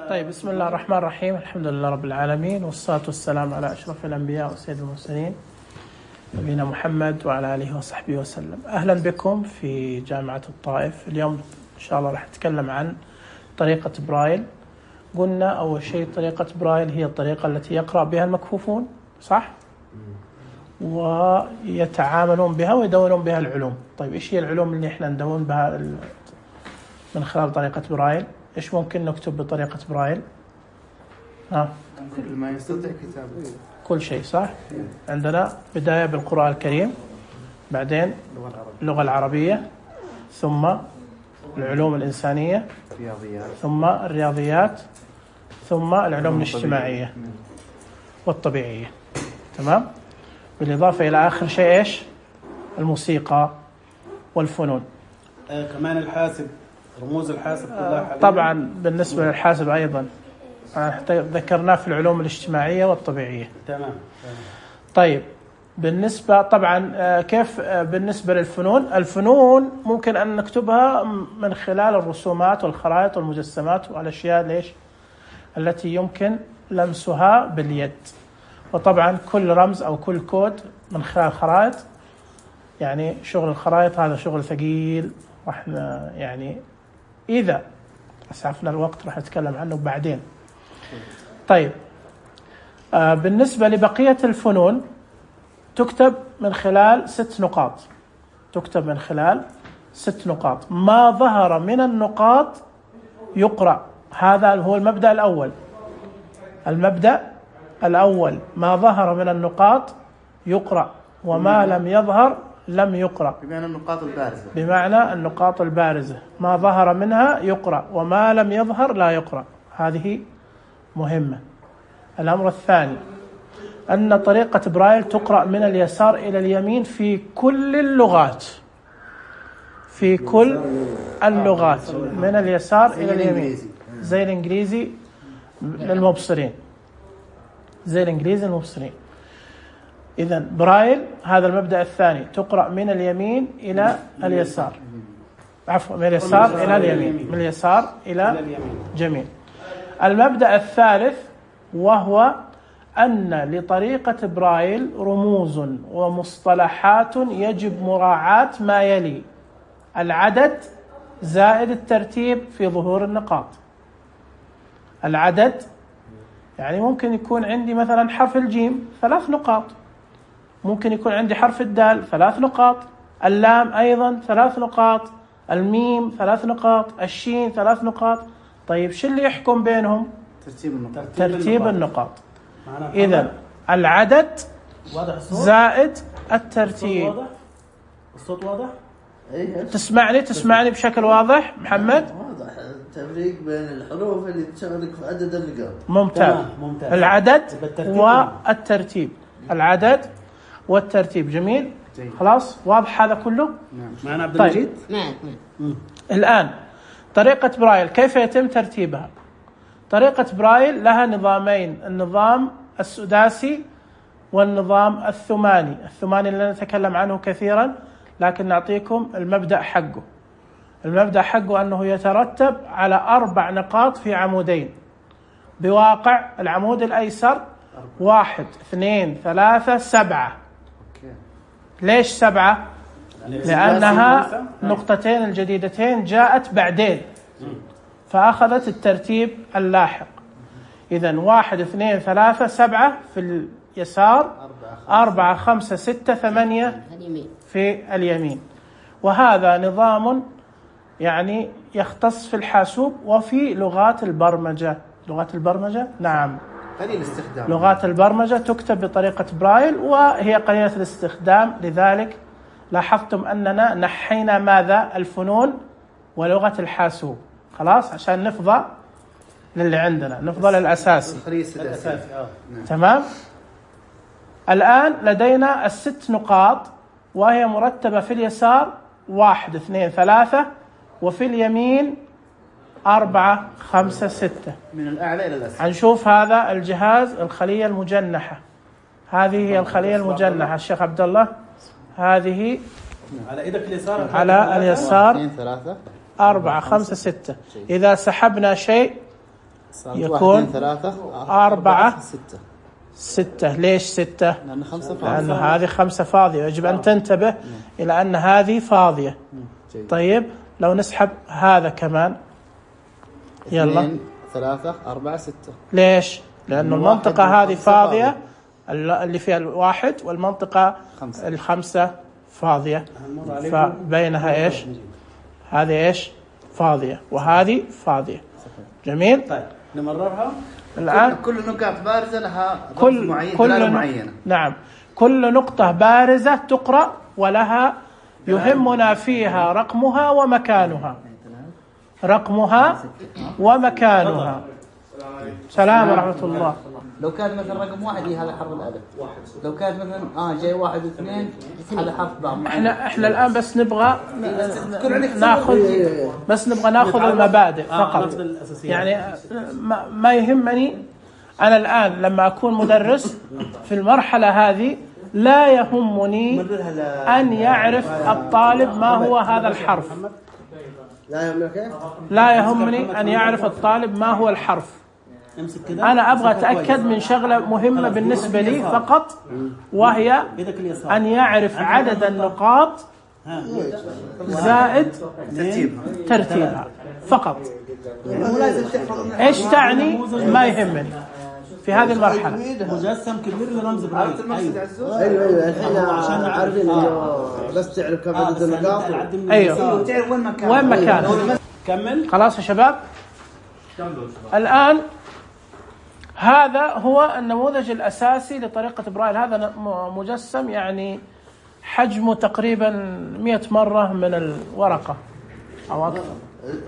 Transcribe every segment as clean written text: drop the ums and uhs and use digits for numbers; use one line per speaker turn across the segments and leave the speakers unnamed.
طيب، بسم الله الرحمن الرحيم. الحمد لله رب العالمين، والصلاة والسلام على أشرف الأنبياء وسيد المرسلين نبينا محمد وعلى آله وصحبه وسلم. أهلا بكم في جامعة الطائف. اليوم إن شاء الله راح نتكلم عن طريقة برايل. قلنا أول شيء طريقة برايل هي الطريقة التي يقرأ بها المكفوفون، صح؟ ويتعاملون بها ويدونون بها العلوم. طيب، إيش هي العلوم اللي إحنا ندون بها من خلال طريقة برايل؟ إيش ممكن نكتب بطريقة برايل؟
كل ما يستطيع كتابه،
كل شيء، صح؟ عندنا بداية بالقرآن الكريم، بعدين اللغة العربية، ثم العلوم الإنسانية، ثم الرياضيات، ثم العلوم الاجتماعية والطبيعية. تمام؟ بالإضافة إلى آخر شيء إيش؟ الموسيقى والفنون.
كمان الحاسب، رموز الحاسب كلها حاليا.
طبعا بالنسبة للحاسب أيضا ذكرناه في العلوم الاجتماعية والطبيعية.
تمام.
طيب، بالنسبة طبعا كيف بالنسبة للفنون؟ الفنون ممكن أن نكتبها من خلال الرسومات والخرائط والمجسمات والأشياء ليش التي يمكن لمسها باليد. وطبعا كل رمز أو كل كود من خلال خرائط، يعني شغل الخرائط هذا شغل ثقيل، راح يعني إذا أسعفنا الوقت راح نتكلم عنه بعدين. طيب، بالنسبة لبقية الفنون تكتب من خلال 6 نقاط. تكتب من خلال 6 نقاط. ما ظهر من النقاط يقرأ. هذا هو المبدأ الأول. المبدأ الأول، ما ظهر من النقاط يقرأ، وما لم يظهر لم يقرأ.
بمعنى النقاط البارزة.
بمعنى النقاط البارزة، ما ظهر منها يقرأ، وما لم يظهر لا يقرأ. هذه مهمة. الأمر الثاني أن طريقة برايل تقرأ من اليسار إلى اليمين في كل اللغات. في كل اللغات من اليسار إلى اليمين، زي الإنجليزي للمبصرين، زي الإنجليزي للمبصرين. إذن برايل هذا المبدأ الثاني، تقرأ من اليمين إلى اليسار، عفوا من اليسار إلى اليمين، من اليسار إلى اليمين. جميل. المبدأ الثالث وهو أن لطريقة برايل رموز ومصطلحات يجب مراعاة ما يلي: العدد زائد الترتيب في ظهور النقاط. العدد يعني ممكن يكون عندي مثلا حرف الجيم 3 نقاط، ممكن يكون عندي حرف الدال 3 نقاط، اللام أيضا 3 نقاط، الميم 3 نقاط، الشين 3 نقاط. طيب، شو اللي يحكم بينهم؟ ترتيب النقاط. إذن العدد زائد الترتيب.
الصوت واضح؟
تسمعني بشكل واضح محمد؟
واضح التفريق بين الحروف اللي تشارك في عدد النقاط.
ممتاز. العدد والترتيب. العدد والترتيب. جميل. خلاص، واضح هذا كله؟
نعم. معنا عبد المجيد؟
نعم.
الآن طريقة برايل كيف يتم ترتيبها؟ طريقة برايل لها نظامين: النظام السداسي والنظام الثماني. الثماني اللي نتكلم عنه كثيرا، لكن نعطيكم المبدأ حقه. المبدأ حقه أنه يترتب على 4 نقاط في عمودين، بواقع العمود الأيسر 1 2 3 7. ليش 7؟ لأنها نقطتين الجديدتين جاءت بعدين، فأخذت الترتيب اللاحق. إذن 1 2 3 7 في اليسار، 4 5 6 8 في اليمين. وهذا نظام يعني يختص في الحاسوب وفي لغات البرمجة. لغات البرمجة، نعم،
قليل الاستخدام. لغات
البرمجة تكتب بطريقة برايل وهي قليلة الاستخدام. لذلك لاحظتم أننا نحينا ماذا؟ الفنون ولغة الحاسوب. خلاص، عشان نفضى للي عندنا، نفضى للأساسي. تمام. الآن لدينا 6 نقاط، وهي مرتبة في اليسار 1 2 3، وفي اليمين 4 5 6.
من الأعلى إلى الأسفل.
هنشوف هذا الجهاز، الخلية المجنحة. هذه هي الخلية المجنحة الشيخ عبد الله. هذه
على إيدك اليسار،
على اليسار 4 5 6. إذا سحبنا شيء يكون
3
4
6.
6. ليش 6؟
لأن 5 فاضية.
لأن هذه 5 فاضية. يجب أن تنتبه إلى أن هذه فاضية. طيب لو نسحب هذا كمان، يلا
2 3 4 6.
ليش؟ لأنه المنطقة هذه فاضية اللي فيها الواحد، والمنطقة 5 فاضية، فبينها إيش؟ هذه إيش؟ فاضية، وهذه فاضية. جميل.
طيب نمررها
الآن.
كل نقاط بارزة لها رمز معين، دلالة معينة.
نعم، كل نقطة بارزة تقرأ ولها يهمنا فيها رقمها ومكانها. رقمها ومكانها. سلام ورحمة الله.
لو كان مثلا رقم 1 هذا حرف الألف. لو كان مثلا جاي 1 و2 هذا حرف باء.
احنا الآن بس نبغى ناخذ المبادئ فقط. يعني ما يهمني أنا الآن لما أكون مدرس في المرحلة هذه لا يهمني أن يعرف الطالب ما هو هذا الحرف. لا يهمني أن يعرف الطالب ما هو الحرف. أنا أبغى أتأكد من شغلة مهمة بالنسبة لي فقط، وهي أن يعرف عدد النقاط زائد ترتيبها فقط. إيش تعني ما يهمني في هذه المرحلة.
مجسم كبير لرمز برايل.
ايوه الحين عشان عارفين بس تعرف كم عدد النقاط.
ايوه
وتعرف
وين مكانه.
كمل.
خلاص يا شباب. الآن هذا هو النموذج الأساسي لطريقة برايل. هذا مجسم يعني حجمه تقريبا 100 مرة من الورقة أو أكثر.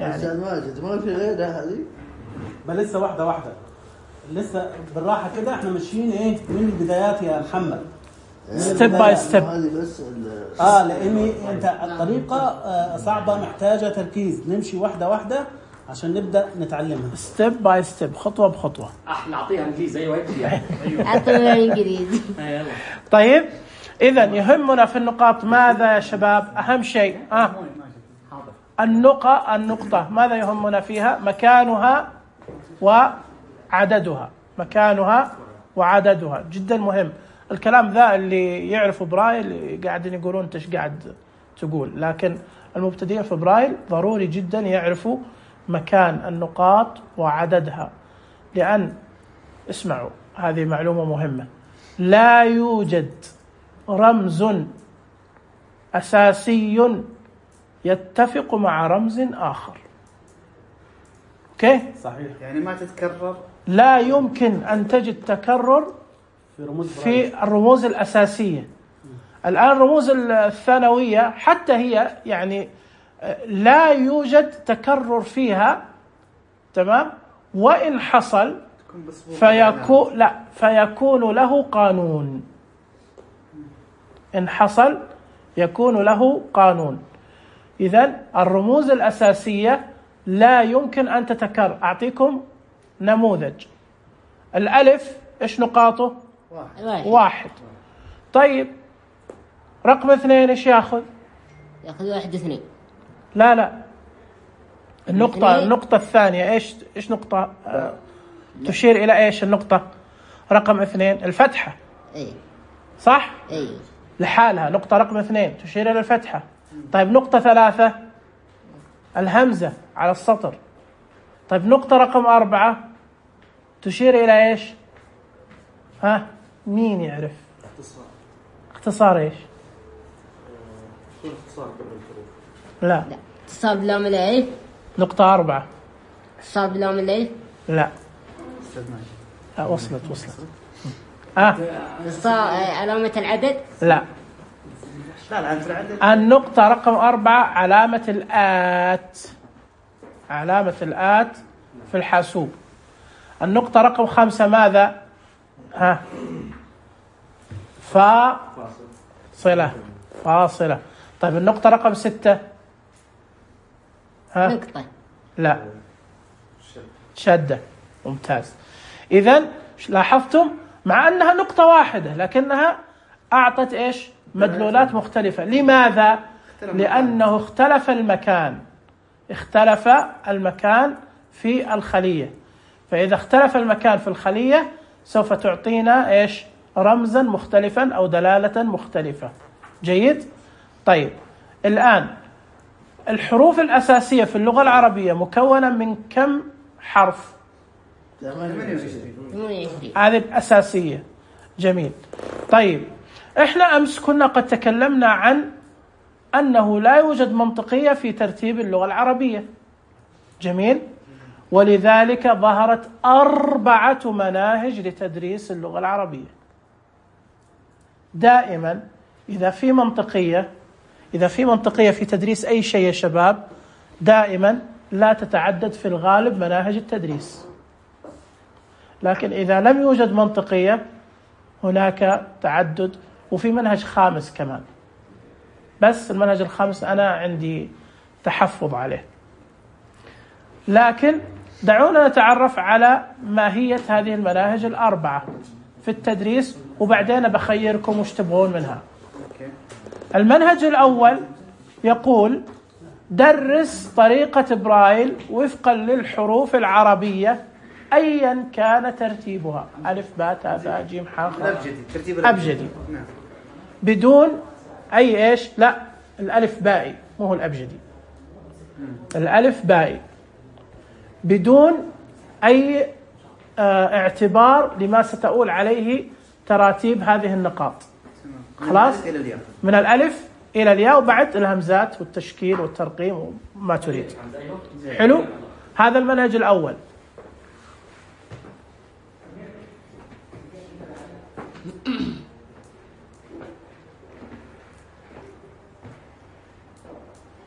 يعني ماجد ما في غيرها هذه.
بل لسه واحدة لسه بالراحة كده. احنا ماشيين من البدايات يا محمد.
ستيب باي ستيب.
لأني انت الطريقة صعبة محتاجة تركيز. نمشي واحدة عشان نبدأ نتعلمها.
ستيب باي ستيب، خطوة بخطوة.
نعطيها انجليزي. ايوه
اعطيها انجليزي.
طيب إذا يهمنا في النقاط ماذا يا شباب؟ أهم شيء النقطة ماذا يهمنا فيها؟ مكانها وعددها. مكانها وعددها جدا مهم. الكلام ذا اللي يعرفوا برايل قاعدين يقولون انت ايش قاعد تقول، لكن المبتدئين في برايل ضروري جدا يعرفوا مكان النقاط وعددها. لأن اسمعوا، هذه معلومة مهمة، لا يوجد رمز أساسي يتفق مع رمز آخر. اوكي؟
صحيح.
يعني ما تتكرر.
لا يمكن أن تجد تكرر في الرموز الأساسية. الآن الرموز الثانوية حتى هي يعني لا يوجد تكرر فيها، تمام؟ وإن حصل فيكون له قانون. إن حصل يكون له قانون. إذن الرموز الأساسية لا يمكن أن تتكرر. أعطيكم نموذج. الألف إيش نقاطه؟ 1. طيب رقم 2 إيش يأخذ
1 2.
لا النقطة الثانية إيش نقطة تشير إلى إيش النقطة رقم 2 الفتحة. صح؟ لحالها نقطة رقم 2 تشير إلى الفتحة. طيب نقطة 3 الهمزة على السطر. طيب نقطة رقم 4 تشير إلى إيش؟ مين يعرف؟ اختصار إيش؟ لا
اختصار بلام الألف.
نقطة 4
اختصار بلام الألف.
لا وصلت.
اختصار علامة العدد.
لا النقطة رقم 4 علامة الآت في الحاسوب. النقطة رقم 5 ماذا؟ فاصلة. طيب النقطة رقم 6
نقطة.
لا شدة. ممتاز. إذن لاحظتم مع أنها نقطة واحدة لكنها أعطت إيش؟ مدلولات مختلفة. لماذا؟ لأنه اختلف المكان في الخلية. فإذا اختلف المكان في الخلية سوف تعطينا إيش؟ رمزا مختلفا أو دلالة مختلفة. جيد؟ طيب الآن الحروف الأساسية في اللغة العربية مكونة من كم حرف؟
28.
هذه الأساسية. جميل. طيب إحنا أمس كنا قد تكلمنا عن أنه لا يوجد منطقية في ترتيب اللغة العربية. جميل. ولذلك ظهرت 4 مناهج لتدريس اللغة العربية. دائما إذا في منطقية في تدريس أي شيء يا شباب، دائما لا تتعدد في الغالب مناهج التدريس. لكن إذا لم يوجد منطقية هناك تعدد، وفي منهج خامس كمان، بس المنهج الخامس أنا عندي تحفظ عليه. لكن دعونا نتعرف على ماهية هذه المناهج 4 في التدريس، وبعدين بخيركم وش تبغون منها. المنهج الأول يقول درس طريقة برايل وفقا للحروف العربية أيا كان ترتيبها، ألف باء تاء ثاء جيم حاء أبجدي، بدون أي إيش؟ لا، الألف بائي، مو هو الأبجدي، الألف بائي بدون أي اعتبار لما ستؤول عليه تراتيب هذه النقاط. خلاص؟ من الألف إلى الياء، وبعد الهمزات والتشكيل والترقيم وما تريد. حلو؟ هذا المنهج الأول.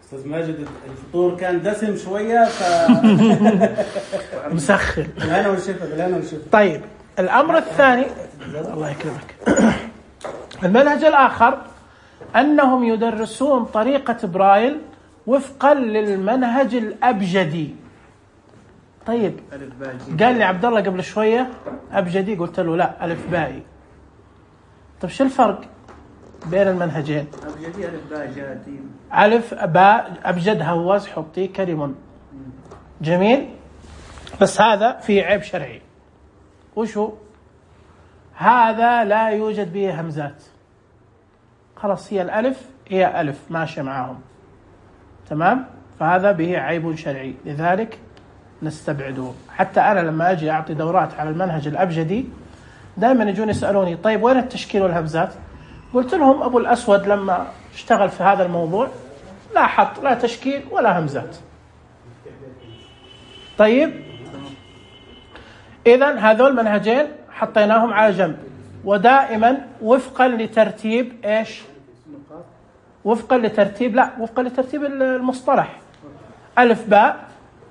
أستاذ ماجد الفطور كان دسم شوية
مسخن.
بالهنا والشفا.
طيب الأمر الثاني، الله يكرمك، المنهج الآخر أنهم يدرسون طريقة برايل وفقا للمنهج الأبجدي. طيب قال لي عبد الله قبل شوية أبجدي، قلت له لا، ألف بائي. طيب شو الفرق بين المنهجين؟
أبجدي ألف باء جاتي،
ألف باء أبجد هوز حطي كريم. جميل. بس هذا فيه عيب شرعي. وشو؟ هذا لا يوجد به همزات. خلاص هي الألف هي ألف ماشي معاهم، تمام؟ فهذا به عيب شرعي، لذلك نستبعده. حتى أنا لما أجي أعطي دورات على المنهج الأبجدي دائما يجون يسألوني طيب وين التشكيل والهمزات؟ قلت لهم أبو الأسود لما اشتغل في هذا الموضوع لا حط لا تشكيل ولا همزات. طيب إذن هذول منهجين حطيناهم على جنب، ودائما وفقا لترتيب إيش؟ وفقا لترتيب، لا، وفقا لترتيب المصطلح. ألف باء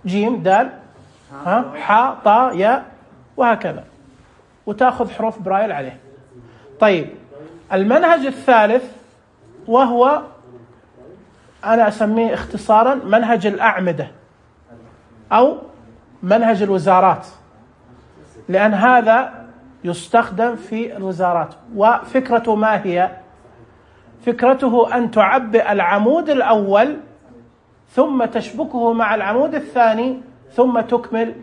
جيم دال حاء طاء ياء وهكذا، وتأخذ حروف برايل عليه. طيب المنهج الثالث وهو أنا أسميه اختصارا منهج الأعمدة أو منهج الوزارات، لأن هذا يستخدم في الوزارات. وفكرته ما هي؟ فكرته أن تعبئ العمود الأول ثم تشبكه مع العمود الثاني ثم تكمل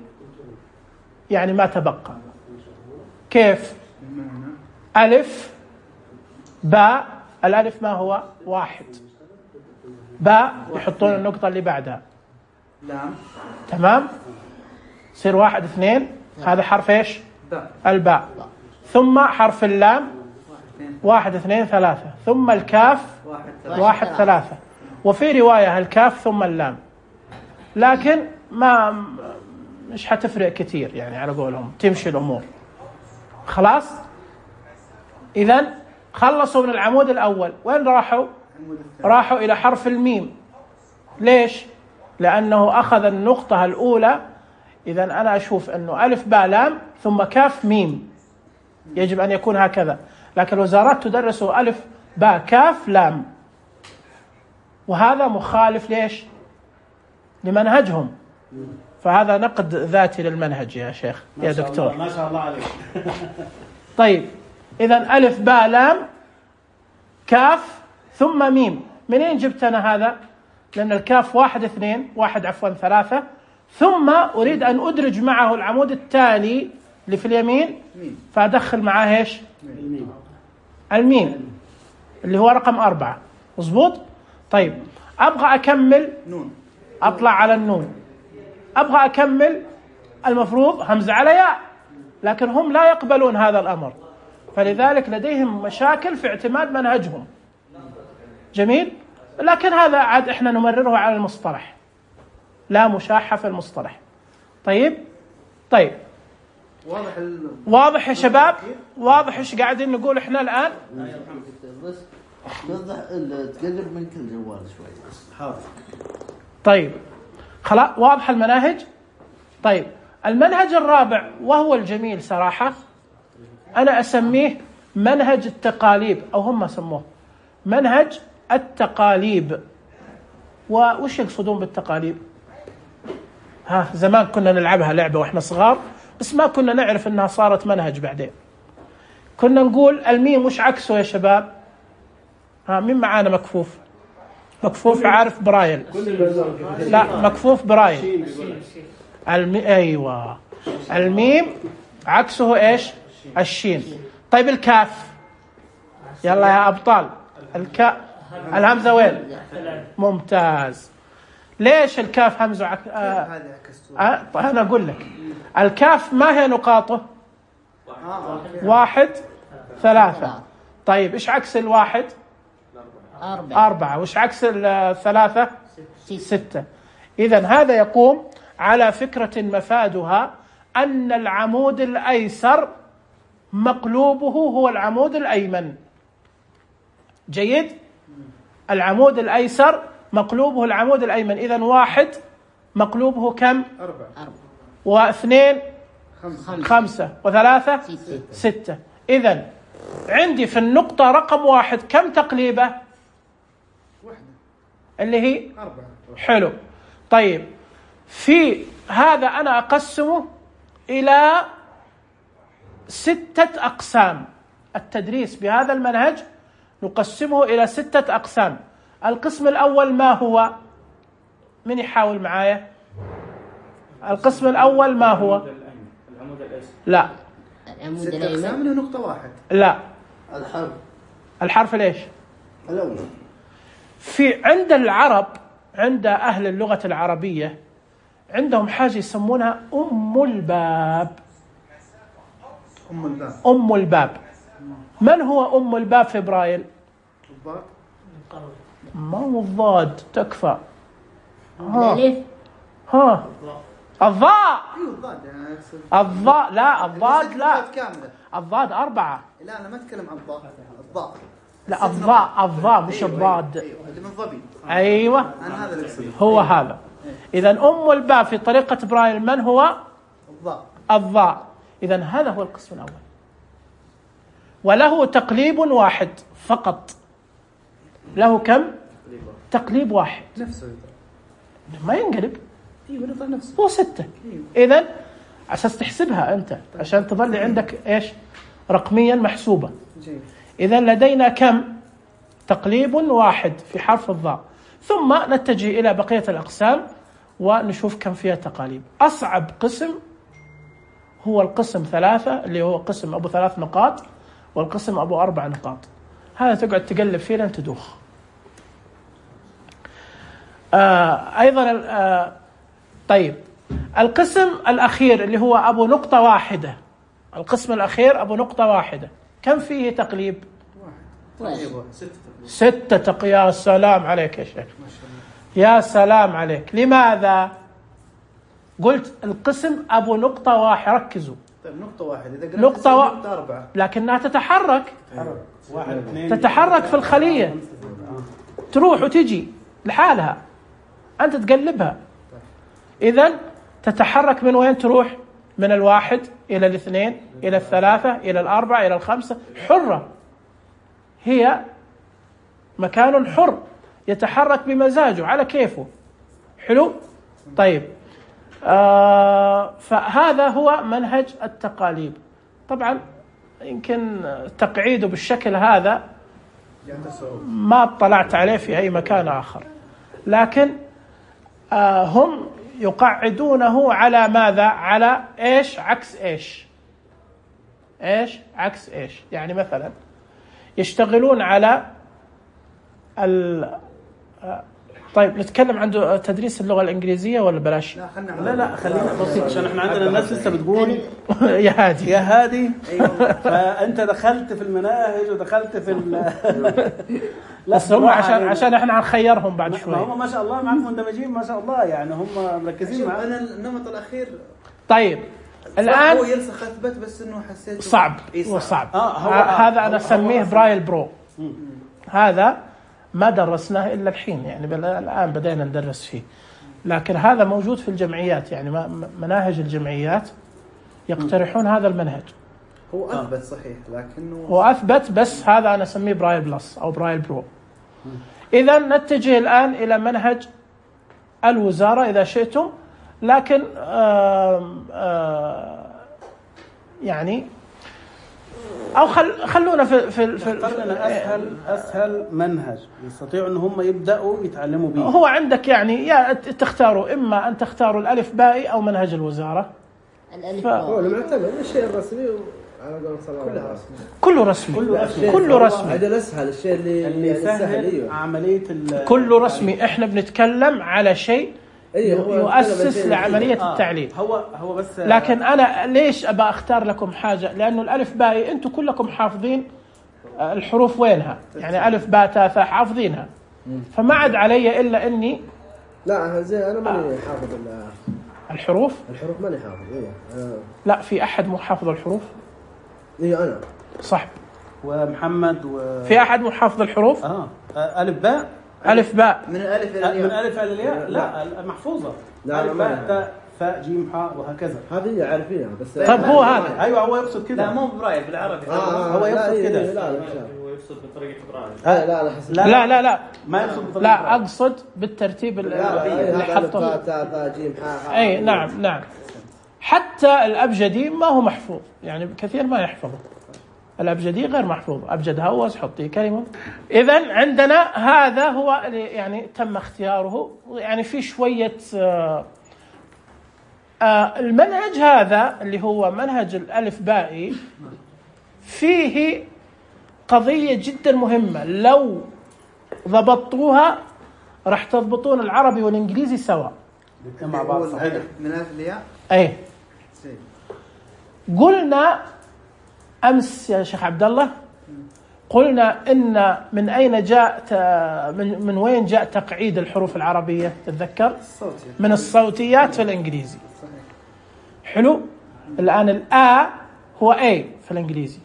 يعني ما تبقى. كيف؟ ألف باء، الألف ما هو؟ 1، باء يحطون النقطة اللي بعدها،
لام،
تمام؟ يصير 1 2، هذا حرف إيش؟
باء،
الباء. ثم حرف اللام 1 2 3، ثم الكاف 1 3، وفي رواية الكاف ثم اللام، لكن ما مش حتفرق كتير يعني على قولهم، تمشي الأمور. خلاص؟ إذن خلصوا من العمود الأول، وين راحوا؟ راحوا إلى حرف الميم. ليش؟ لأنه أخذ النقطة الأولى. إذن أنا أشوف أنه ألف باء لام ثم كاف ميم، يجب أن يكون هكذا، لكن الوزارات تدرس ألف باء كاف لام، وهذا مخالف ليش؟ لمنهجهم. فهذا نقد ذاتي للمنهج يا شيخ يا دكتور.
ما شاء الله عليك.
طيب إذن ألف باء لام كاف ثم ميم، منين جبت أنا هذا؟ لأن الكاف 1 2 1 عفوا 3، ثم أريد أن أدرج معه العمود التالي اللي في اليمين، فأدخل معاه إيش؟ الميم اللي هو رقم 4. مظبوط؟ طيب أبغى أكمل
نون،
أطلع على النون، أبغى أكمل المفروض همزة على ياء، لكن هم لا يقبلون هذا الأمر، فلذلك لديهم مشاكل في اعتماد منهجهم. جميل؟ لكن هذا عاد إحنا نمرره على المصطلح، لا مشاحة في المصطلح. طيب واضح يا شباب؟ واضح إيش قاعدين نقول إحنا الآن؟
بس توضح تقلب من كل جوال شوي.
حاضر.
طيب خلاص واضح المناهج. طيب المنهج الرابع وهو الجميل صراحة، أنا أسميه منهج التقاليب، أو هم سموه منهج التقاليب. وش يقصدون بالتقاليب؟ زمان كنا نلعبها لعبة وإحنا صغار، بس ما كنا نعرف أنها صارت منهج بعدين. كنا نقول الميم وش عكسه يا شباب؟ مين معانا مكفوف؟ مكفوف عارف برايل؟ لا مكفوف برايل. أيوة، الميم عكسه إيش؟ الشين. طيب الكاف، يلا يا أبطال، الهمزة وين؟ ممتاز. ليش الكاف همزة أنا أقول لك الكاف ما هي نقاطه؟ 1 3. طيب إيش عكس 1؟ 4. وإيش عكس 3؟ 6. إذن هذا يقوم على فكرة مفادها أن العمود الأيسر مقلوبه هو العمود الأيمن. جيد؟ العمود الأيسر مقلوبه العمود الأيمن. إذن 1 مقلوبه كم؟ 4. و2 5 و3 6. إذن عندي في النقطة رقم 1 كم تقليبة؟ اللي هي
4.
حلو. طيب في هذا أنا أقسمه إلى 6 أقسام. التدريس بهذا المنهج نقسمه إلى 6 أقسام. القسم الأول ما هو؟ من يحاول معايا؟ القسم الأول ما هو؟ لا
العمود
6
الأيمن.
أقسام من نقطة 1.
لا، الحرف ليش؟
الأول.
في عند العرب، عند أهل اللغة العربية عندهم حاجة يسمونها أم الباب. أم الباب. من هو أم الباب في برايل؟ ما هو الضاد، تكفى.
الألف.
الضاء.
الضاد
لا الضاد لا،
كاملة.
الضاد 4.
لا أنا ما أتكلم عن الضاء.
لا الضاء مش الضاد.
اللي من ظبي.
أيوة
أنا هذا اللي أقصده.
هو هذا. إذن أم الباب في طريقة برايل من هو؟ الضاء. إذن هذا هو القسم الأول، وله تقليب 1 فقط. له كم؟ تقليب 1.
نفسه
ما ينقلب.
نفسه.
هو 6. إذن أساس تحسبها أنت عشان تظل عندك إيش؟ رقميا محسوبة. إذن لدينا كم؟ تقليب 1 في حرف الضاء. ثم نتجه إلى بقية الأقسام ونشوف كم فيها تقاليب. أصعب قسم هو القسم 3 اللي هو قسم أبو 3 نقاط، والقسم أبو 4 نقاط. هذا تقعد تقلب فيه لين تدوخ. أيضا طيب القسم الأخير اللي هو أبو نقطة 1. القسم الأخير أبو نقطة 1 كم فيه تقليب؟ 6. يا سلام عليك يا شيخ، يا سلام عليك. لماذا؟ قلت القسم أبو نقطة 1. ركزوا.
طيب نقطة 1 إذا قلت
نقطة
4
لكنها تتحرك.
1 2
تتحرك في الخلية، تروح وتجي لحالها، أنت تقلبها. إذن تتحرك من وين تروح؟ من 1 إلى 2 إلى 3 إلى 4 إلى 5. حرة، هي مكان حر يتحرك بمزاجه على كيفه. حلو؟ طيب فهذا هو منهج التقاليب. طبعا يمكن تقعيده بالشكل هذا ما اطلعت عليه في أي مكان آخر، لكن هم يقعدونه على ماذا؟ على إيش عكس إيش؟ إيش عكس إيش؟ يعني مثلا يشتغلون على طيب نتكلم عن تدريس اللغة الإنجليزية ولا بلاش؟
لا خلينا بسيط عشان احنا عندنا الناس لسه بتقول
يا هادي
يا هادي. فانت دخلت في المناهج ودخلت في لا
بس هم عشان احنا هنخيرهم بعد شوي.
هم ما شاء الله معك مندمجين ما شاء الله، يعني هم مركزين معك.
انا النمط الاخير
طيب الان
هو يرسخ اثبت، بس انه حسيت
صعب. هو صعب. هذا انا اسميه برايل برو. هذا ما درسناه الا الحين، يعني الان بدينا ندرس فيه، لكن هذا موجود في الجمعيات، يعني مناهج الجمعيات يقترحون هذا المنهج.
هو اثبت صحيح، لكنه
هو اثبت، بس هذا انا اسميه برايل بلس او برايل برو. اذا نتجه الان الى منهج الوزارة اذا شئتم، لكن يعني او خلونا في
اسهل منهج يستطيعوا ان هم يبداوا يتعلموا به.
هو عندك يعني يا تختاروا، اما ان تختاروا الالف باء او منهج الوزارة.
الالف باء
هو المعتمد الشيء الرسمي على قول صلى الله عليه وسلم.
كله رسمي.
هذا الاسهل، الشيء اللي
يسهل عملية
كله رسمي. احنا بنتكلم على شيء يؤسس لعملية التعليم.
هو بس
لكن أنا ليش أبى أختار لكم حاجة؟ لأنه الألف باء أنتم كلكم حافظين الحروف وينها، يعني ألف باء تاء ثاء حافظينها، فما عاد علي إلا إني
لا زي أنا ماني حافظ
الحروف
ماني حافظ.
لا، في أحد مو حافظ الحروف؟
أنا
صح.
ومحمد
في أحد مو حافظ الحروف؟
ألف باء
من الألف
إلى الياء. لا محفوظة. ألف باء تاء ثاء جيم حاء وهكذا.
هذه عارفينها بس.
طيب هو هذا.
أيوة هو يقصد كده.
لا مو برايل بالعربي.
هو يقصد كده.
لا
هو يقصد بطريقة برايل.
لا
ما يقصد بطريقة
لا، أقصد بالترتيب اللي حطه.
تاء جيم حاء.
أي نعم. حتى الأبجدي ما هو محفوظ، يعني كثير ما يحفظه. الأبجدي غير محفوظ. أبجد هوس حطي كلمة. إذن عندنا هذا هو يعني تم اختياره، يعني في شوية المنهج هذا اللي هو منهج الألف بائي فيه قضية جدا مهمة، لو ضبطوها راح تضبطون العربي والإنجليزي سوا
مع بعض. صحيح.
من الألف للياء.
أي قلنا أمس يا شيخ عبد الله، قلنا إن من أين جاء من وين جاء تقعيد الحروف العربية؟ تتذكر؟ من الصوتيات في الإنجليزي. حلو. الآن الآ هو A في الإنجليزي،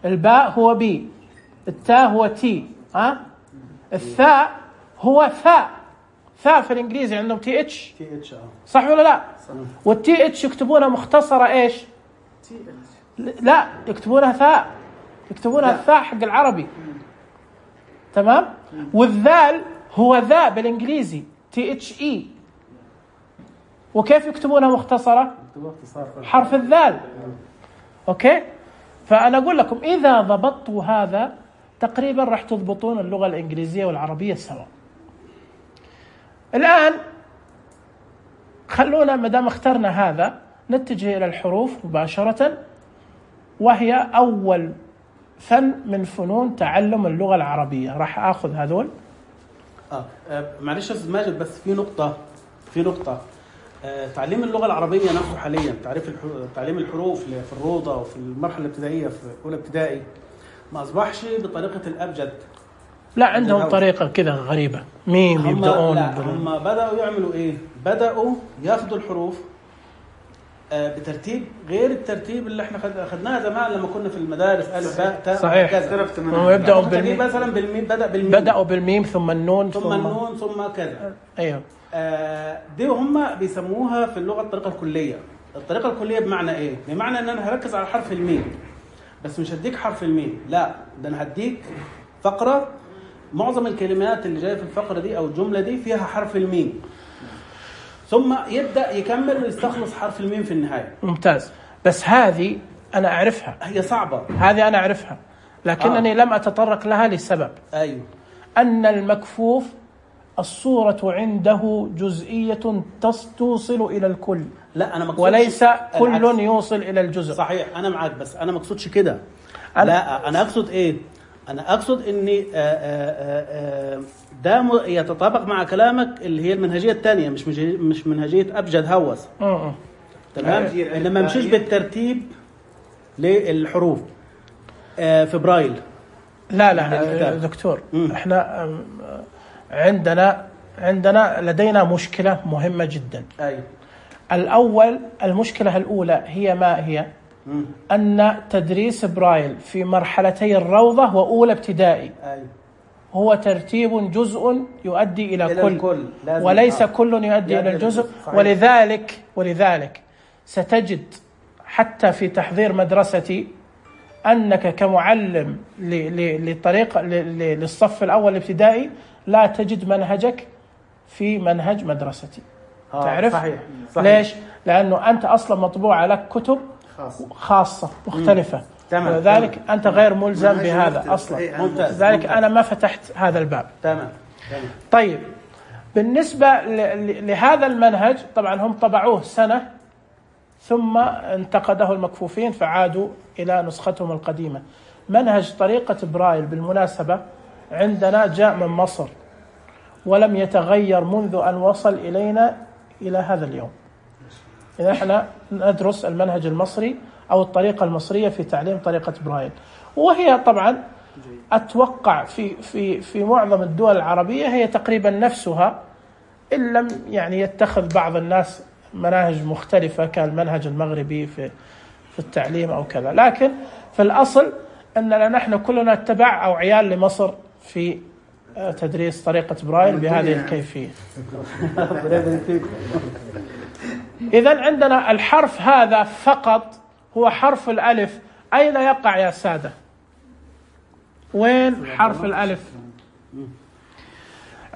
الباء هو B، التاء هو T، الثاء هو ثاء في الإنجليزي عندهم TH. صح ولا لا؟ والTH يكتبونها مختصرة إيش؟ لا، يكتبونها ثاء، يكتبونها الثاء حق العربي. تمام. والذال هو ذا بالإنجليزي THE. وكيف يكتبونها مختصرة؟ حرف الذال. أوكي. فأنا أقول لكم إذا ضبطوا هذا تقريبا راح تضبطون اللغة الإنجليزية والعربية سوا. الآن خلونا مدام اخترنا هذا نتجه إلى الحروف مباشرة، وهي أول فن من فنون تعلم اللغة العربية. راح أخذ هذول.
معلش أستاذ ماجد، بس في نقطة. تعليم اللغة العربية نفسه حاليا، تعليم الحروف في الروضة وفي المرحلة الابتدائية في أولى ابتدائي ما أصبحش بطريقة الأبجد.
لا، عندهم طريقة كذا غريبة، ميم يبدأون.
هم بدأوا يعملوا إيه؟ بدأوا ياخدوا الحروف بترتيب غير الترتيب اللي احنا خدناها زمان لما كنا في المدارس ألف باء تاء.
صحيح. هم يبدأوا بالميم،
مثلا بالميم
بدأوا بالميم ثم النون
ثم كذا.
ايوه.
دي هم بيسموها في اللغة الطريقة الكلية. الطريقة الكلية بمعنى ايه؟ بمعنى ان انا هركز على حرف الميم، بس مش هديك حرف الميم، لا ده انا هديك فقرة معظم الكلمات اللي جاية في الفقرة دي او الجملة دي فيها حرف الميم، ثم يبدأ يكمل ويستخلص حرف الميم في النهاية.
ممتاز. بس هذه أنا أعرفها،
هي صعبة،
هذه أنا أعرفها، لكنني لم أتطرق لها لسبب.
أيوه.
أن المكفوف الصورة عنده جزئية توصل إلى الكل،
لا أنا مقصود
وليس كل يوصل إلى الجزء.
صحيح، أنا معك، بس أنا مقصودش كده. لا، أنا أقصد إيه؟ أنا أقصد إني ده يتطابق مع كلامك اللي هي المنهجية الثانية، مش منهجية أبجد هوس. تمام. إنما ممشيش بالترتيب للحروف في برايل.
لا دكتور، احنا عندنا لدينا مشكلة مهمة جدا.
أيوة.
الأول، المشكلة الأولى هي ما هي؟ أن تدريس برايل في مرحلتي الروضة وأولى ابتدائي هو ترتيب جزء يؤدي إلى كل، وليس كل يؤدي إلى الجزء. ولذلك ستجد حتى في تحضير مدرستي أنك كمعلم للصف الأول الابتدائي لا تجد منهجك في منهج مدرستي. تعرف؟
صحيح.
ليش؟ لأنه أنت أصلا مطبوعة لك كتب خاصة مختلفة، ولذلك أنت غير ملزم بهذا أصلا. لذلك أنا ما فتحت هذا الباب.
تمام.
طيب، بالنسبة لهذا المنهج طبعا هم طبعوه سنة ثم انتقده المكفوفين فعادوا إلى نسختهم القديمة. منهج طريقة برايل بالمناسبة عندنا جاء من مصر ولم يتغير منذ أن وصل إلينا إلى هذا اليوم. إذا احنا ندرس المنهج المصري أو الطريقة المصرية في تعليم طريقة برايل، وهي طبعا أتوقع في معظم الدول العربية هي تقريبا نفسها، إن لم يعني يتخذ بعض الناس مناهج مختلفة كالمنهج المغربي في التعليم أو كذا، لكن في الأصل أننا نحن كلنا اتبع أو عيال لمصر في تدريس طريقة برايل بهذه الكيفية. إذن عندنا الحرف هذا فقط هو حرف الألف. أين يقع يا سادة؟ وين حرف الألف؟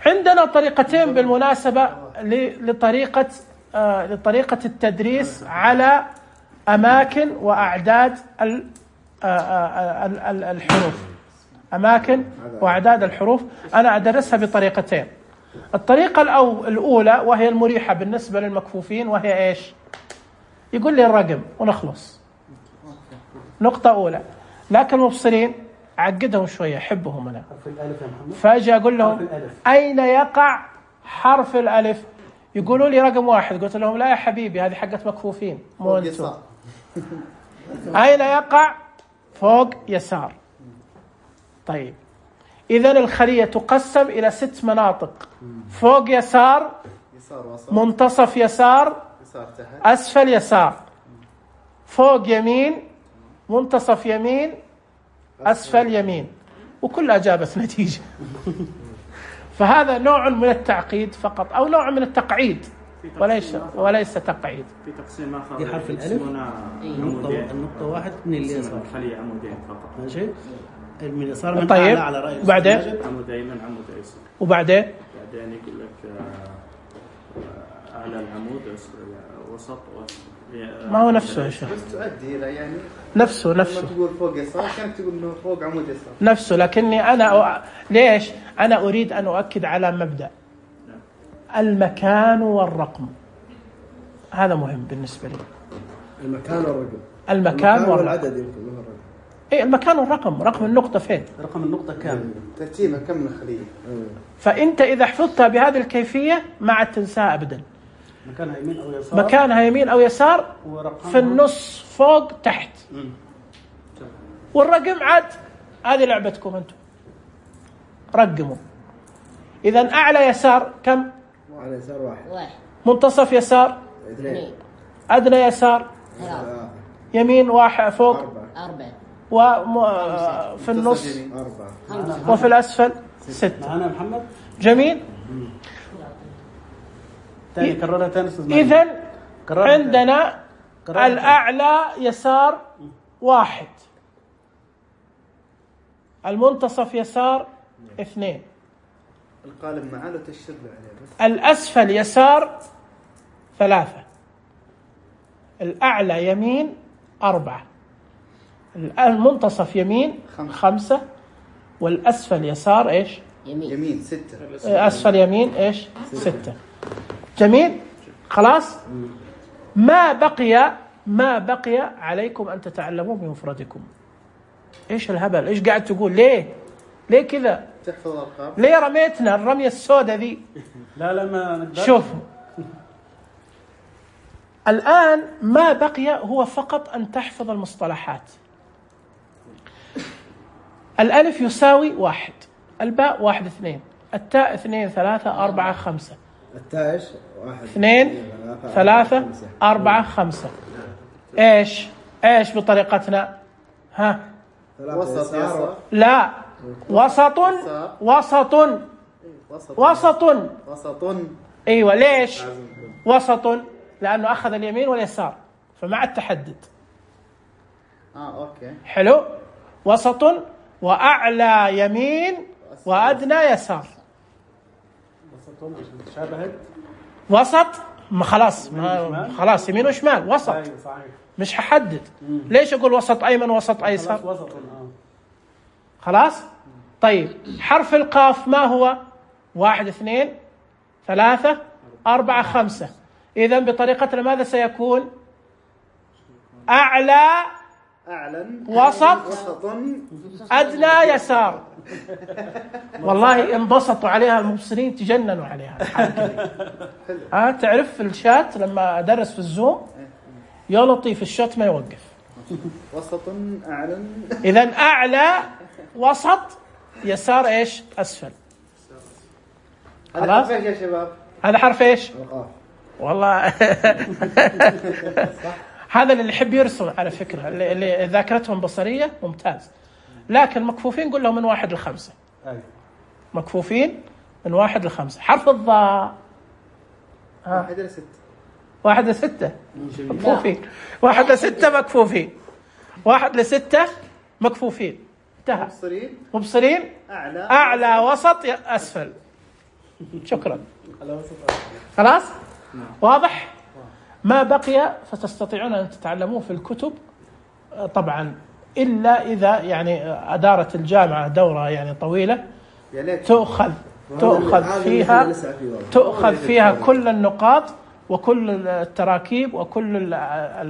عندنا طريقتين بالمناسبة لطريقة التدريس على أماكن وأعداد الحروف. أماكن وأعداد الحروف أنا أدرسها بطريقتين. الطريقة الأولى وهي المريحة بالنسبة للمكفوفين، وهي إيش؟ يقول لي الرقم ونخلص، نقطة أولى. لكن المبصرين عقدهم شوية، حبهم أنا، فأجي أقول لهم أين يقع حرف الألف؟ يقولوا لي رقم 1. قلت لهم لا يا حبيبي، هذه حقت مكفوفين مو أنتم. أين يقع؟ فوق يسار. طيب، إذن الخلية تقسم إلى 6 مناطق: فوق يسار، منتصف يسار، أسفل يسار، فوق يمين، منتصف يمين، أسفل يمين، وكلها جابت نتيجة. فهذا نوع من التعقيد فقط، أو نوع من التقعيد وليس تقعيد.
في تقسيم آخر
دي حرف الألف النقطة 1 من اليسار،
خلية عمودين فقط.
ماشي، من اليسار من
طيب.
على رأي
وبعدين
عمود أيمن عمود أيسر،
وبعدين
يقول لك أعلى العمود وسط
ما هو نفسه يا شيخ،
بس تؤدي إلى يعني
نفسه
لما تقول فوق يسار كانك تقول إنه فوق عمود يسار
نفسه. لكني أنا ليش أنا أريد أن أؤكد على مبدأ المكان والرقم. هذا مهم بالنسبة لي. المكان
والعدد يمكن له الرقم.
إيه، المكان والرقم. رقم النقطة فين؟
رقم النقطة كام؟
ترتيبها كم من خلية.
فأنت إذا حفظتها بهذه الكيفية ما عاد تنساها أبدا.
مكانها يمين أو يسار،
مكانها يمين أو يسار، في النص، فوق، تحت. والرقم عاد هذه لعبتكم أنتم، رقموا. إذا أعلى يسار كم؟
أعلى يسار 1،
منتصف يسار
2،
أدنى يسار
3،
يمين 1، فوق
4،
وفي النص
4،
وفي الأسفل 6.
معنا محمد.
جميل.
تاني كررها تاني استاذ.
إذن عندنا الأعلى يسار 1، المنتصف يسار 2،
القالب معاه وتشتغل عليه بس.
الأسفل يسار 3، الأعلى يمين 4، المنتصف يمين 5، والأسفل يسار إيش
يمين 6.
أسفل يمين إيش 6. جميل خلاص. ما بقي عليكم أن تتعلموا بمفردكم. إيش الهبل؟ إيش قاعد تقول؟ ليه كذا؟
تحفظ الأرقام.
ليه رميتنا الرمية السوداء ذي؟
لا ما نقدر.
شوفوا الآن ما بقي هو فقط أن تحفظ المصطلحات. الألف يساوي 1، الباء 1 2، التاء 2 3 4 5،
التاء ايش؟ 1
2 3 4 5. ايش بطريقتنا؟ ها
وسط يسار.
لا، وسط. ايوه. ليش وسط؟ لانه اخذ اليمين واليسار فمع التحدد.
اوكي
حلو. وسط واعلى يمين وادنى يسار. وسط خلاص يمين وشمال وسط.
أيوة صحيح.
مش هحدد. ليش اقول وسط ايمن وسط ايسر؟
وسط.
خلاص. طيب حرف القاف ما هو؟ 1 2 3 4 5. اذا بطريقتنا ماذا سيكون؟ اعلى وسط ادنى يسار. والله انبسطوا عليها المبصرين، تجننوا عليها. تعرف في الشات لما ادرس في الزوم يا لطيف الشات ما يوقف.
وسط اعلى.
اذا اعلى وسط يسار ايش اسفل.
هذا حرف ايش يا شباب؟
هذا حرف ايش؟
القاف.
والله هذا اللي يحب يرسم على فكرة، اللي ذاكرتهم بصرية ممتاز. لكن مكفوفين قل لهم من 1 ل 5. مكفوفين من 1 ل 5. حرف الضاء
1 ل 6.
1 ل 6 مكفوفين. 1 ل 6 مكفوفين. 1 ل 6 مكفوفين. انتهى. مبصرين. أعلى وسط أسفل. شكرا. خلاص واضح. ما بقي فتستطيعون أن تتعلموه في الكتب طبعا، إلا إذا يعني أدارت الجامعة دورة يعني طويلة تؤخذ فيها كل النقاط وكل التراكيب وكل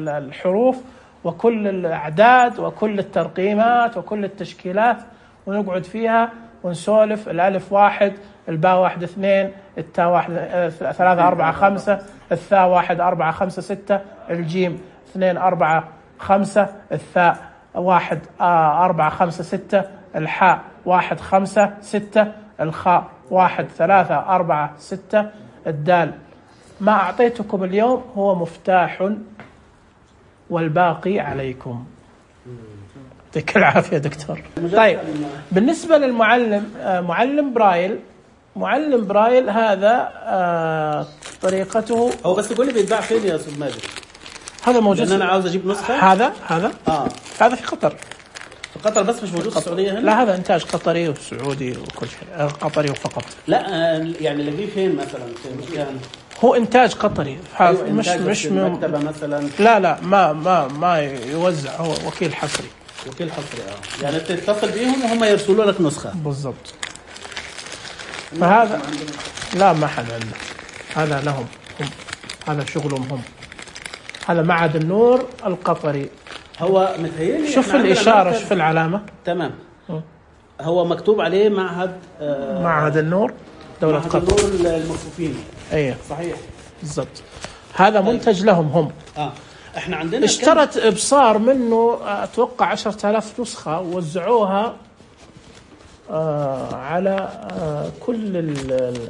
الحروف وكل الأعداد وكل الترقيمات وكل التشكيلات، ونقعد فيها ونسولف. الألف 1، الباء 1 2، التاء 1 3 4 5، الثاء 1 4 5 6، الجيم 2 4 5، الثاء 1 4 5 6، الحاء 1 5 6، الخاء 1 3 4 6، الدال. ما أعطيتكم اليوم هو مفتاح والباقي عليكم. يعطيك العافية دكتور. طيب بالنسبة للمعلم، معلم برايل هذا طريقته.
هو بس تقول لي بيتباع فين يا أستاذ ماجد؟
هذا موجود.
لأن أنا عاوز أجيب نسخة.
هذا هذا في قطر.
في قطر بس مش موجود في السعودية هنا؟
لا هذا إنتاج قطري وسعودي وكل شيء، قطري فقط.
لا يعني اللي فين مثلا في مكان؟
هو إنتاج قطري.
أيوة
مش
مكتبة مثلا.
لا ما يوزع، هو وكيل حصري.
يعني تتصل بيهم وهم يرسلوا لك نسخة.
بالضبط. فهذا لا ما حد عنده، هذا لهم هم، هذا شغلهم هم. هذا معهد النور القطري.
هو متهيألي
شوف الإشارة، شوف العلامة.
تمام. هو مكتوب عليه معهد
النور دولة قطر.
معهد النور المكفوفين.
أيه
صحيح
بالضبط. هذا منتج لهم هم.
احنا عندنا
اشترت إبصار منه أتوقع 10,000 نسخة ووزعوها على كل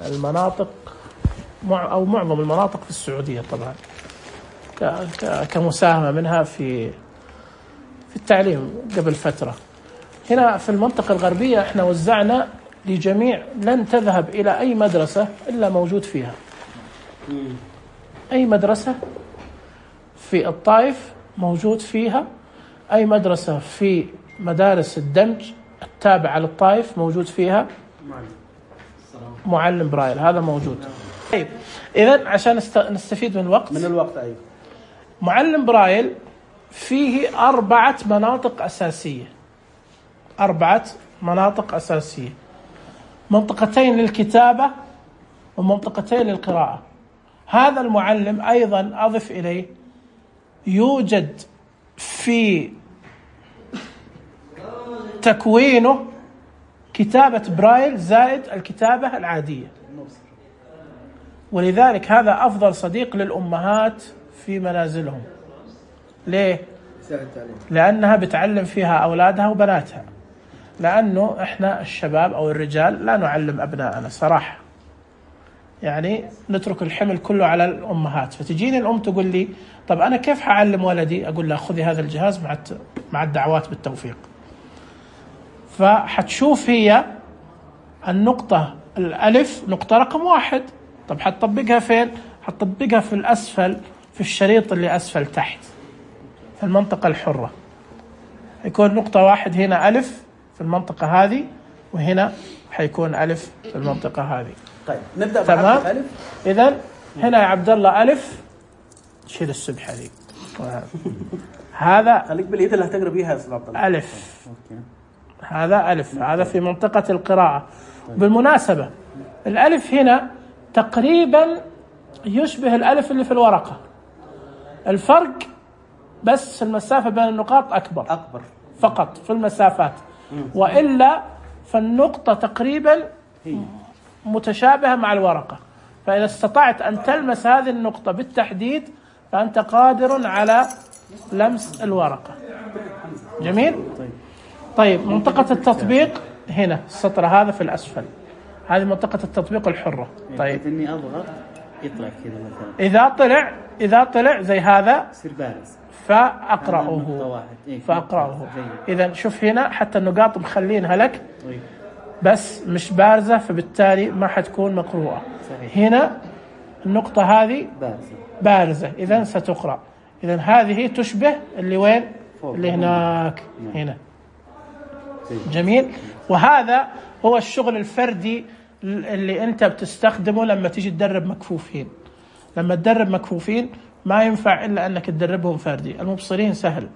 المناطق أو معظم المناطق في السعودية طبعا، كمساهمة منها في التعليم. قبل فترة هنا في المنطقة الغربية احنا وزعنا لجميع، لن تذهب إلى أي مدرسة إلا موجود فيها. أي مدرسة في الطائف موجود فيها، أي مدرسة في مدارس الدمج التابعة للطائف موجود فيها معلم برايل، هذا موجود. طيب إذن عشان نستفيد من الوقت.
أيوة.
معلم برايل فيه 4 مناطق أساسية. 4 مناطق أساسية. منطقتين للكتابة ومنطقتين للقراءة. هذا المعلم أيضا أضف إليه يوجد في تكوينه كتابة برايل زائد الكتابة العادية، ولذلك هذا أفضل صديق للأمهات في منازلهم. ليه؟ لأنها بتعلم فيها أولادها وبناتها، لأنه إحنا الشباب أو الرجال لا نعلم أبناءنا صراحة، يعني نترك الحمل كله على الأمهات. فتجيني الأم تقول لي طب أنا كيف حعلم ولدي؟ أقول لها خذي هذا الجهاز مع الدعوات بالتوفيق. فحتشوف هي النقطة الألف نقطة رقم 1. طب حتطبقها فين؟ حتطبقها في الأسفل، في الشريط اللي أسفل تحت في المنطقة الحرة. يكون نقطة 1 هنا ألف في المنطقة هذه، وهنا حيكون ألف في المنطقة هذه.
طيب نبدأ
تمام.
ألف.
إذن هنا يا عبد الله ألف، شيل السبحة دي هذا
خليك باليد اللي هتقرأ بيها يا أستاذ عبد الله.
ألف. هذا ألف، هذا في منطقة القراءة. بالمناسبة الألف هنا تقريبا يشبه الألف اللي في الورقة، الفرق بس المسافة بين النقاط أكبر فقط في المسافات، وإلا فالنقطة تقريبا متشابهة مع الورقة. فإذا استطعت أن تلمس هذه النقطة بالتحديد فأنت قادر على لمس الورقة. جميل؟ طيب منطقة التطبيق هنا السطر هذا في الأسفل، هذه منطقة التطبيق الحرة. طيب
إني أضغط يطلع كذا مثلا،
إذا طلع زي هذا
يصير بارز
فأقرأه. إذا شوف هنا حتى النقاط مخلينها لك بس مش بارزة، فبالتالي ما حتكون مقروءة. هنا النقطة هذه بارزة إذا ستقرأ. إذا هذه تشبه اللي وين؟ اللي هناك هنا. جميل. وهذا هو الشغل الفردي اللي أنت بتستخدمه لما تيجي تدرب مكفوفين. لما تدرب مكفوفين ما ينفع إلا أنك تدربهم فردي. المبصرين سهل،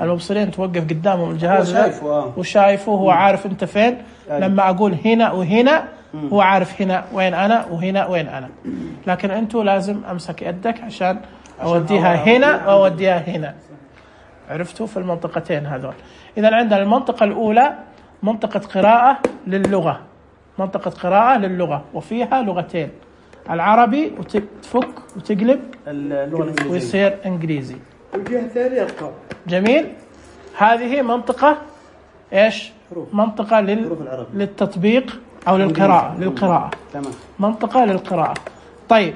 المبصرين توقف قدامهم الجهاز وشايفه، هو عارف أنت فين. لما أقول هنا وهنا هو عارف هنا وين أنا وهنا وين أنا، لكن أنتوا لازم أمسك يدك عشان أوديها هنا وأوديها هنا. عرفتوا في المنطقتين هذول. إذا عندنا المنطقة الأولى منطقة قراءة للغة، منطقة قراءة للغة وفيها لغتين، العربي وتفك وتقلب ويصير إنجليزي.
وجهة ثانية أرقام.
جميل. هذه منطقة إيش؟ منطقة للتطبيق أو للقراءة.
تمام.
منطقة للقراءة. طيب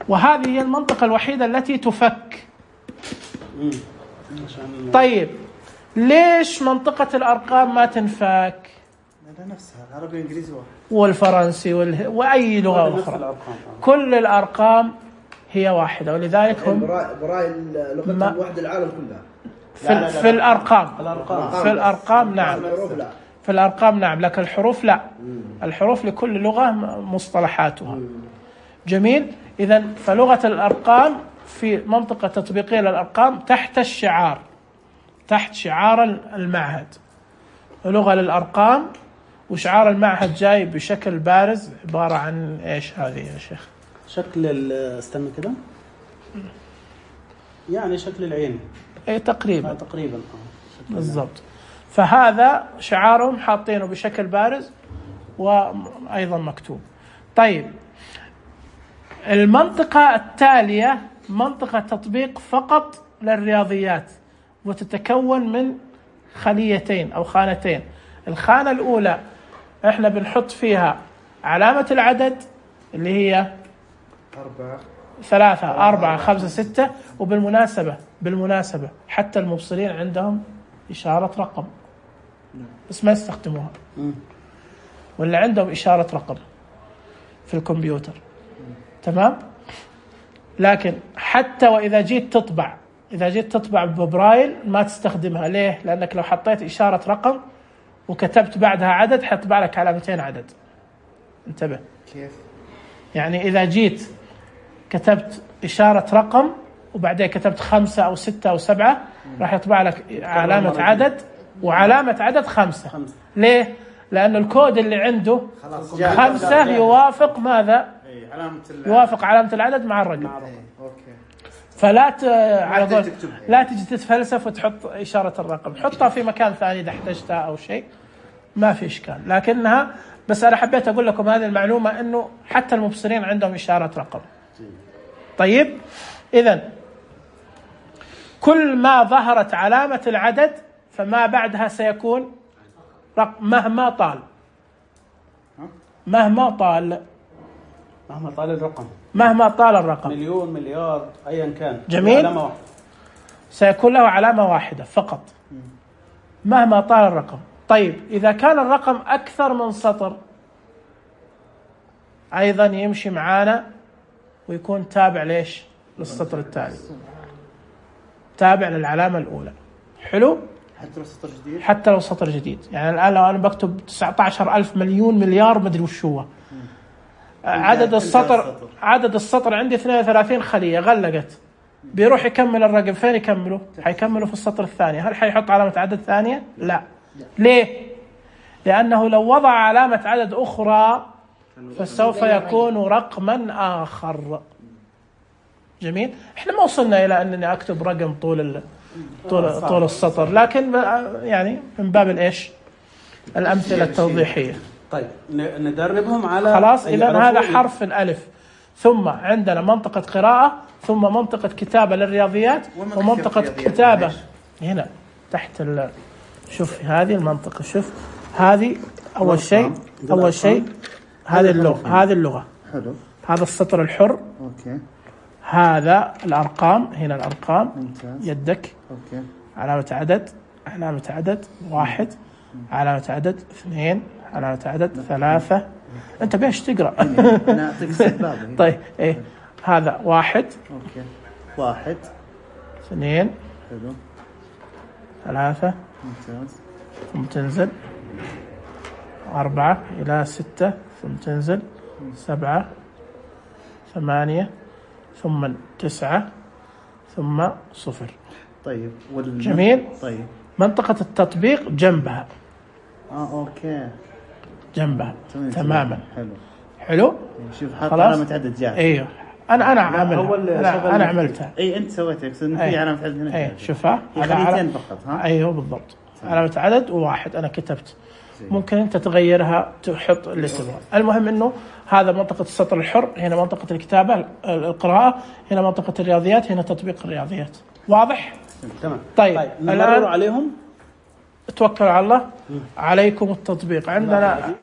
وهذه هي المنطقة الوحيدة التي تفك. طيب ليش منطقة الأرقام ما تنفك؟
نفسها العربي والإنجليزي
والفرنسي وأي لغة أخرى، كل الأرقام هي واحدة، ولذلك هم
برايل لغة واحدة العالم كلها
في الأرقام نعم، في الأرقام نعم، لكن الحروف لا. الحروف لكل لغة مصطلحاتها. جميل. إذن فلغة الأرقام في منطقة تطبيقية للأرقام تحت الشعار، تحت شعار المعهد، لغة للأرقام. وشعار المعهد جاي بشكل بارز عبارة عن إيش هذه يا شيخ؟
شكل استنى كده، يعني شكل العين.
إيه تقريبا
بالضبط.
فهذا شعارهم حاطينه بشكل بارز وأيضا مكتوب. طيب المنطقة التالية منطقة تطبيق فقط للرياضيات، وتتكون من خليتين أو خانتين. الخانة الأولى إحنا بنحط فيها علامة العدد اللي هي 3 4 5 6. وبالمناسبة حتى المبصرين عندهم إشارة رقم بس ما يستخدموها، ولا عندهم إشارة رقم في الكمبيوتر. تمام. لكن حتى وإذا جيت تطبع ببرايل ما تستخدمها. ليه؟ لأنك لو حطيت إشارة رقم وكتبت بعدها عدد حتطبع لك علامتين عدد. انتبه
كيف؟
يعني إذا جيت كتبت إشارة رقم وبعدين كتبت 5 أو 6 أو 7 راح يطبع لك علامة عدد وعلامة عدد 5. ليه؟ لأن الكود اللي عنده
خلاص
5 يوافق ماذا؟
علامة
يوافق علامة العدد مع الرقم.
اوكي.
فلا على قول
تكتبها.
لا تجي تتفلسف وتحط إشارة الرقم، حطها في مكان ثاني إذا احتجتها أو شيء ما في إشكال. لكنها بس أنا حبيت أقول لكم هذه المعلومة إنه حتى المبصرين عندهم إشارة رقم. طيب إذن كل ما ظهرت علامة العدد فما بعدها سيكون رقم مهما طال. مهما طال
الرقم،
مهما طال الرقم،
مليون، مليار، أيا كان،
جميل.
علامة واحدة.
سيكون له علامة واحدة فقط مهما طال الرقم. طيب إذا كان الرقم أكثر من سطر أيضا يمشي معانا ويكون تابع ليش؟ للسطر التالي، تابع للعلامة الأولى. حلو؟
حتى لو سطر جديد.
حتى لو سطر جديد. يعني الآن لو أنا بكتب 19,000 مليون مليار مدري وش هو، عدد السطر عندي 32 خلية غلقت، بيروح يكمل الرقم فين يكمله؟ حيكمله في السطر الثاني. هل حيحط علامة عدد ثانية؟ لا. ليه؟ لأنه لو وضع علامة عدد أخرى فسوف يكون رقما آخر. جميل. احنا ما وصلنا إلى أنني أكتب رقم طول السطر، لكن يعني من باب الإيش؟ الأمثلة التوضيحية.
طيب ندربهم على
خلاص. إذن هذا حرف الألف، ثم عندنا منطقة قراءة، ثم منطقة كتابة للرياضيات، ومنطقة كتابة هنا تحت شوف هذه المنطقة. شوف هذه أول شيء هذه اللغة.
حلو.
هذا السطر الحر.
اوكي.
هذا الأرقام، هنا الأرقام.
ممتاز.
يدك.
اوكي.
علامة عدد 1، علامة عدد 2، علامة عدد 3. أنت بيش تقرأ؟
أنا أعطيك السبابة.
طيب إيه هذا 1.
اوكي. 1
2
حلو.
3
ممتاز.
ثم تنزل 4 إلى 6 ثم تنزل 7 8 ثم 9 ثم 0.
طيب
جميل.
طيب
منطقة التطبيق جنبها.
اوكي.
جنبها تماما.
حلو. شوف حط علامة عدد جاهز.
ايوه انا عملها. انا عملتها.
اي انت سويتها، يقصد ان في علامة عدد هنا.
اي شوفها
خليتين فقط. ها
ايوه بالضبط. علامة عدد و1 انا كتبت. ممكن انت تغيرها تحط اللي تبغاه. المهم انه هذا منطقة السطر الحر، هنا منطقة الكتابة القراءة، هنا منطقة الرياضيات، هنا تطبيق الرياضيات. واضح؟
تمام.
طيب
نمرر عليهم.
توكلوا على الله. عليكم التطبيق. عندنا